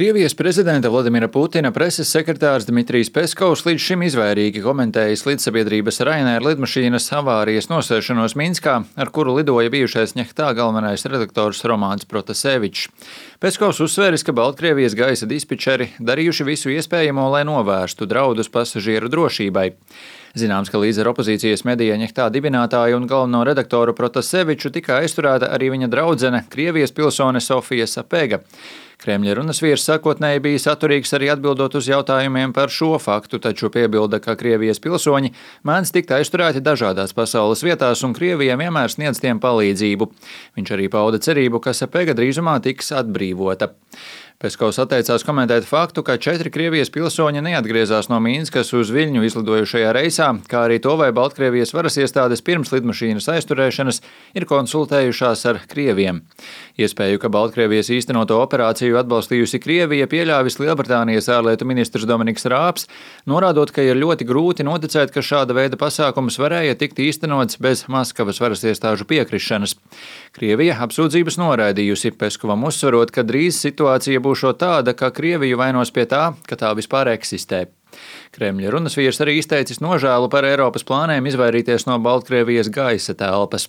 Krievijas prezidenta Vladimira Putina preses sekretārs Dmitrijs Peskovs līdz šim izvairīgi komentējis līdzsabiedrības Ryanair lidmašīnas avārijas nosēšanos Minskā, ar kuru lidoja bijušais Ņehtā galvenais redaktors Romāns Protasevičs. Peskovs uzsvēris, ka Baltkrievijas gaisa dispečeri darījuši visu iespējamo, lai novērstu draudus pasažieru drošībai. Zināms, ka līdz ar opozīcijas medija Ņehtā dibinātāju un galveno redaktoru Protaseviču tika aizturēta arī viņa draudzene, Krievijas pilsone Sofija Sapega. Kremļa runas vīrs sākotnēji bija saturīgs arī atbildot uz jautājumiem par šo faktu, taču piebilda, ka Krievijas pilsoņi mēdz tikt aizturēti dažādās pasaules vietās un Krievija vienmēr sniedz tiem palīdzību. Viņš arī pauda cerību, ka Sapega drīzumā tiks atbrīvota. Peskovs atteicās komentēt faktu, ka 4 Krievijas pilsoņi neatgriezās no Minskas uz Viļņu izlidojušajā reisā, kā arī to, vai Baltkrievijas varas iestādes pirms lidmašīnas aizturēšanas ir konsultējušās ar krieviem. Iespēju, ka Baltkrievijas īstenoto operāciju atbalstījusi Krievija, pieļāvis Lielbritānijas ārlietu ministrs Dominiks Rāps, norādot, ka ir ļoti grūti noticēt, ka šāda veida pasākums varēja tikt īstenots bez Maskavas varas iestāžu piekrišanas. Krievija apsūdzības noraidījusi, Peskovam uzsverot, ka drīz situācija būšot tāda, ka Krieviju vainos pie tā, ka tā vispār eksistē. Kremļa runas vīrs arī izteicis nožēlu par Eiropas plāniem izvairīties no Baltkrievijas gaisa telpas.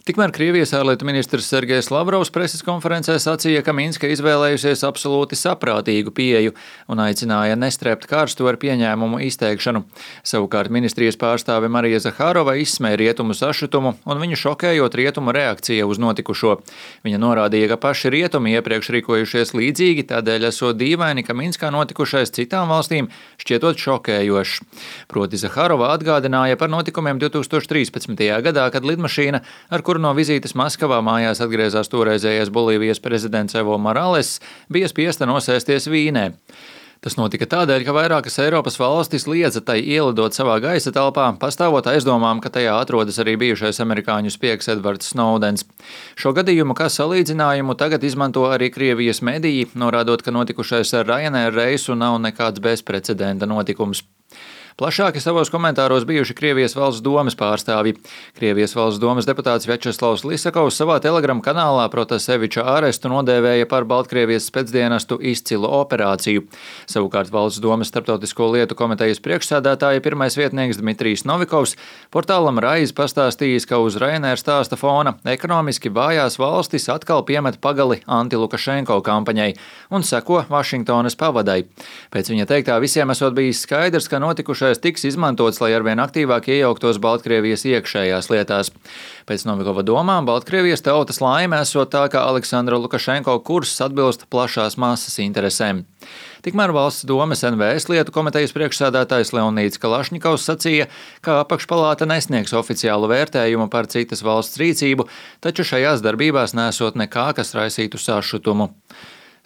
Tikmēr Krievijas ārlietu ministrs Sergejs Lavrovs preses konferencē sacīja, ka Minska izvēlējusies absolūti saprātīgu pieeju un aicināja nestrēpt karstu ar pieņēmumu izteikšanu. Savukārt ministrijas pārstāve Marija Zahārova izsmēja rietumu sašutumu un viņu šokējot rietumu reakcija uz notikušo. Viņa norādīja, ka paši rietumi iepriekš rīkojušies līdzīgi, tādēļ esot dīvaini, ka Minskā notikušais citām valstīm šķietot šokējošs. Proti Zahārova atgādināja par notikumiem 2013. gadā, kad lidmašīna, ar kuru no vizītes Maskavā mājās atgriezās toreizējais Bolīvijas prezidents Evo Morales, bija spiesta nosēsties Vīnē. Tas notika tādēļ, ka vairākas Eiropas valstis liedza tai ielidot savā gaisa telpā, pastāvot aizdomām, ka tajā atrodas arī bijušais amerikāņu spiegs Edvards Snowdens. Šo gadījumu kā salīdzinājumu tagad izmanto arī Krievijas mediji, norādot, ka notikušais ar Ryanair reisu nav nekāds bezprecedenta notikums. Plašāki savos komentāros bijuši Krievijas valsts domes pārstāvji. Krievijas valsts domes deputāts Večeslavs Lisakovs savā Telegram kanālā Protaseviča ārestu nodēvēja par Baltkrievijas specdienestu izcilu operāciju. Savukārt valsts domes starptautisko lietu komitejas priekšsēdētāja pirmais vietnieks Dmitrijs Novikovs portālam Raiz pastāstījis, ka uz Ryanair stāsta fona ekonomiski vājās valstis atkal piemet pagali anti-Lukašenko kampaņai un seko Vašingtonas pavadai. Pēc viņa teiktā visiem esot bijis skaidrs, ka notikušais tiks izmantots, lai arvien aktīvāk iejauktos Baltkrievijas iekšējās lietās. Pēc Novikova domām Baltkrievijas tautas laime esot tā, ka Aleksandra Lukašenko kurss atbilst plašās masas interesēm. Tikmēr valsts domes NVS lietu komitejas priekšsēdētājs Leonīds Kalašņikovs sacīja, ka apakšpalāta nesniegs oficiālu vērtējumu par citas valsts rīcību, taču šajās darbībās nesot nekā, kas raisītu sašutumu.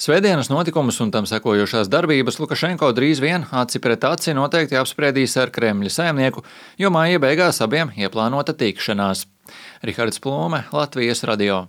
Svētdienas notikumus un tam sekojošās darbības Lukašenko drīz vien aci pret aci noteikti apspriedīs ar Kremļa saimnieku, jo māja beigās abiem ieplānota tikšanās. Rihards Plūme, Latvijas radio.